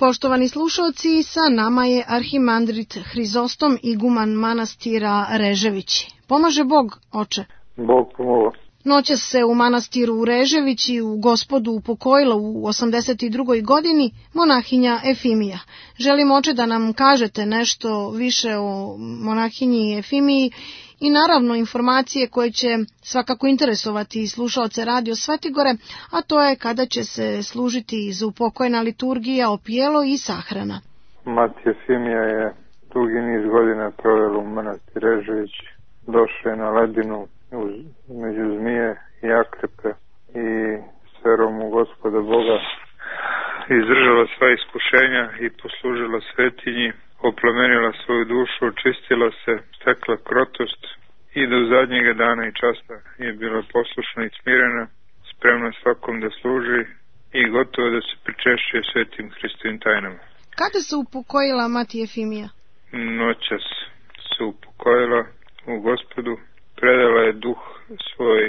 Poštovani slušalci, sa nama je arhimandrit Hrizostom, iguman manastira Reževići. Pomaže Bog, oče? Bog pomoga. Noćas se u manastiru Reževići u Gospodu upokojila u 82. godini monahinja Efimija. Želim, oče, da nam kažete nešto više o monahinji Efimiji i naravno informacije koje će svakako interesovati slušaoce Radio Svetigore, a to je kada će se služiti zaupokojna liturgija, opijelo i sahrana. Mati Efimija je dugi niz godina provela u manastir Režević. Došla je na ledinu među zmije i akrepe i s verom u Gospoda Boga izdržala sva iskušenja i poslužila svetinji, oplemenila svoju dušu, očistila se, stekla krotost i do zadnjega dana i časa je bila poslušna i smirena, spremna svakom da služi i gotova da se pričešćuje svetim Hristovim tajnama. Kada se upokojila mati Efimija? Noćas se upokojila u Gospodu, predala je duh svoj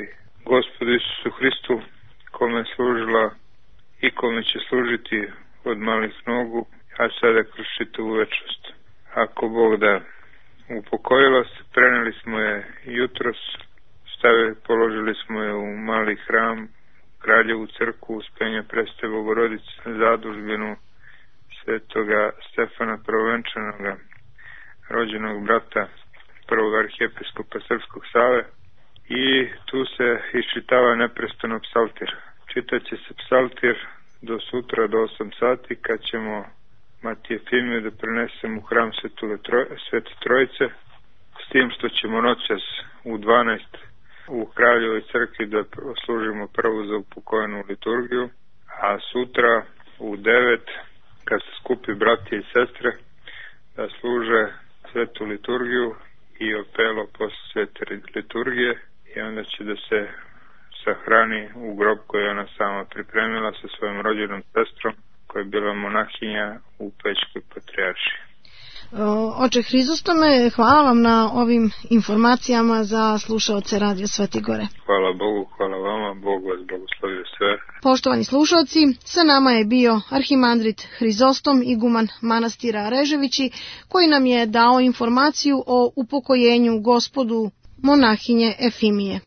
Gospodu Isusu Hristu, kome je služila i kome će služiti od malih nogu, a sada kroz čitavu večnost. Ako Bog da. Upokojila se, preneli smo je jutros, položili smo je u mali hram, Kraljevu crkvu Uspenja Preste Bogorodice, zadužbinu svetoga Stefana Prvovenčanoga, rođenog brata prvog arhijepiskopa Srpskog Save, i tu se iščitava neprestano psaltir. Čitaće se psaltir do sutra do 8 sati, kad ćemo Mati Efimiju da prenesemo u hram Svete Trojice, s tim što ćemo noćas u 12 u Kraljevoj crkvi da služimo prvu zaupokojenu liturgiju, a sutra u 9, kad se skupi bratje i sestre, da služe svetu liturgiju i opelo posle svete liturgije, i onda će da se sahrani u grob koji je ona sama pripremila sa svojom rođenom sestrom, koja je bila monahinja u Pećkoj patrijaršiji. Oče Hrizostome, hvala vam na ovim informacijama za slušaoce Radio Svetigore. Hvala Bogu, hvala vama, Bog vas blagoslovio sve. Poštovani slušaoci, sa nama je bio arhimandrit Hrizostom, iguman manastira Reževići, koji nam je dao informaciju o upokojenju Gospodu monahinje Efimije.